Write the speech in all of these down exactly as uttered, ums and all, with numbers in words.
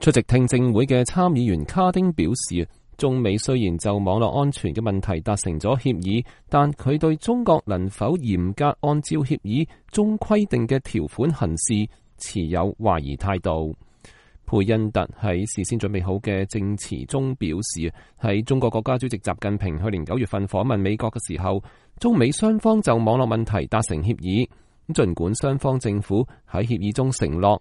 出席聽證會嘅參議員卡丁表示，中美雖然就網絡安全嘅問題達成咗協議，但佢對中國能否嚴格按照協議中規定嘅條款行事持有懷疑態度。佩恩特喺事先準備好嘅證詞中表示，喺中國國家主席習近平去年九月份訪問美國嘅時候，中美雙方就網絡問題達成協議。儘管雙方政府喺協議中承諾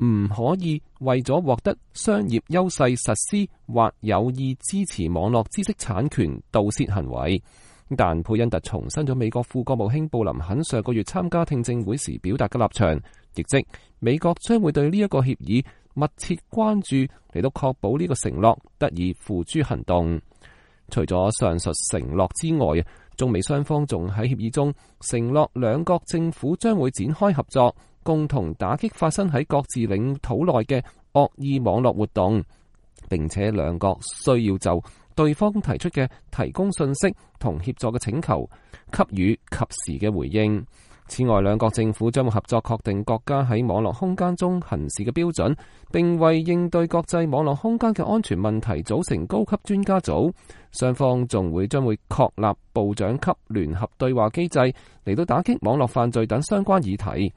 唔可以為咗獲得商業優勢實施或有意支持網絡知識產權盜竊行為，但佩恩特重申咗美國副國務卿布林肯上個月參加聽證會時表達嘅立場，亦即美國將會對呢一個協議密切關注，嚟到確保呢個承諾得以付諸行動。除咗上述承諾之外，中美雙方仲喺協議中承諾兩國政府將會展開合作，共同打擊發生喺各自領土內嘅惡意網絡活動，並且兩國需要就對方提出嘅提供信息同協助嘅請求給予及時嘅回應。此外，兩國政府將會合作確定國家喺網絡空間中行事嘅標準，並為應對國際網絡空間嘅安全問題組成高級專家組。雙方仲會將會確立部長級聯合對話機制，嚟到打擊網絡犯罪等相關議題。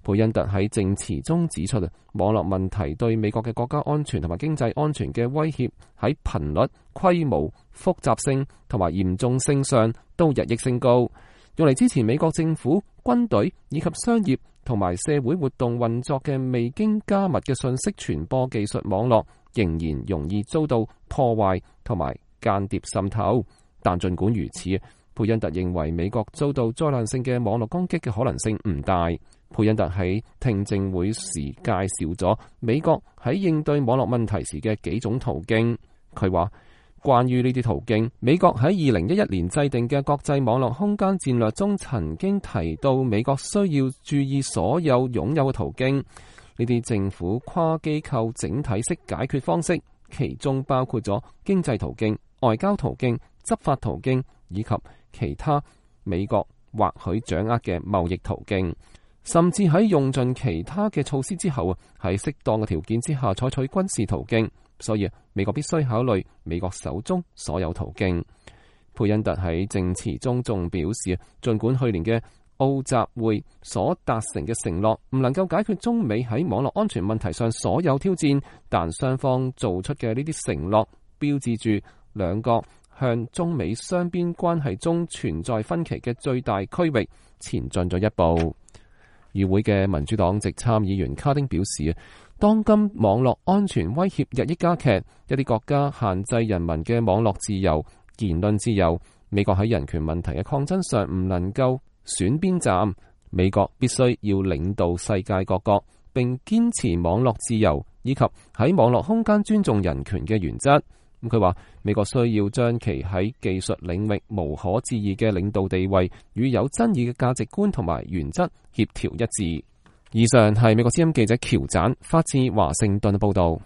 佩恩特喺證詞中指出，網絡問題對美國嘅國家安全同埋經濟安全嘅威脅喺頻率、規模、複雜性同埋嚴重性上都日益升高。用嚟支持美國政府、軍隊以及商業同埋社會活動運作嘅未經加密嘅信息傳播技術網絡，仍然容易遭到破壞同埋間諜滲透。但儘管如此，佩恩特認為美國遭到災難性嘅網絡攻擊嘅可能性唔大。佩恩特喺聽證會時介紹咗美國喺應對網絡問題時嘅幾種途徑。佢話，關於呢啲途徑，美國喺二零一一年制定嘅國際網絡空間戰略中曾經提到，美國需要注意所有擁有嘅途徑。呢啲政府跨機構整體式解決方式，其中包括咗經濟途徑、外交途徑、執法途徑以及其他美國或許掌握嘅貿易途徑，甚至喺用盡其他嘅措施之後，喺適當嘅條件之下採取軍事途徑。所以美國必須考慮美國手中所有途徑。佩恩特喺證詞中仲表示，儘管去年嘅奧集會所達成嘅承諾唔能夠解決中美喺網絡安全問題上所有挑戰，但雙方做出嘅呢啲承諾標誌住兩國向中美雙邊關係中存在分歧嘅最大區域前進咗一步。與會嘅民主黨籍參議員卡丁表示，當今網絡安全威脅日益加劇，一啲國家限制人民嘅網絡自由、言論自由。美國喺人權問題嘅抗爭上唔能夠選邊站，美國必須要領導世界各國，並堅持網絡自由以及喺網絡空間尊重人權嘅原則。咁佢話，美國需要將其喺技術領域無可置疑嘅領導地位與有爭議嘅價值觀同埋原則協調一致。以上係美國之音記者喬展發自華盛頓嘅報道。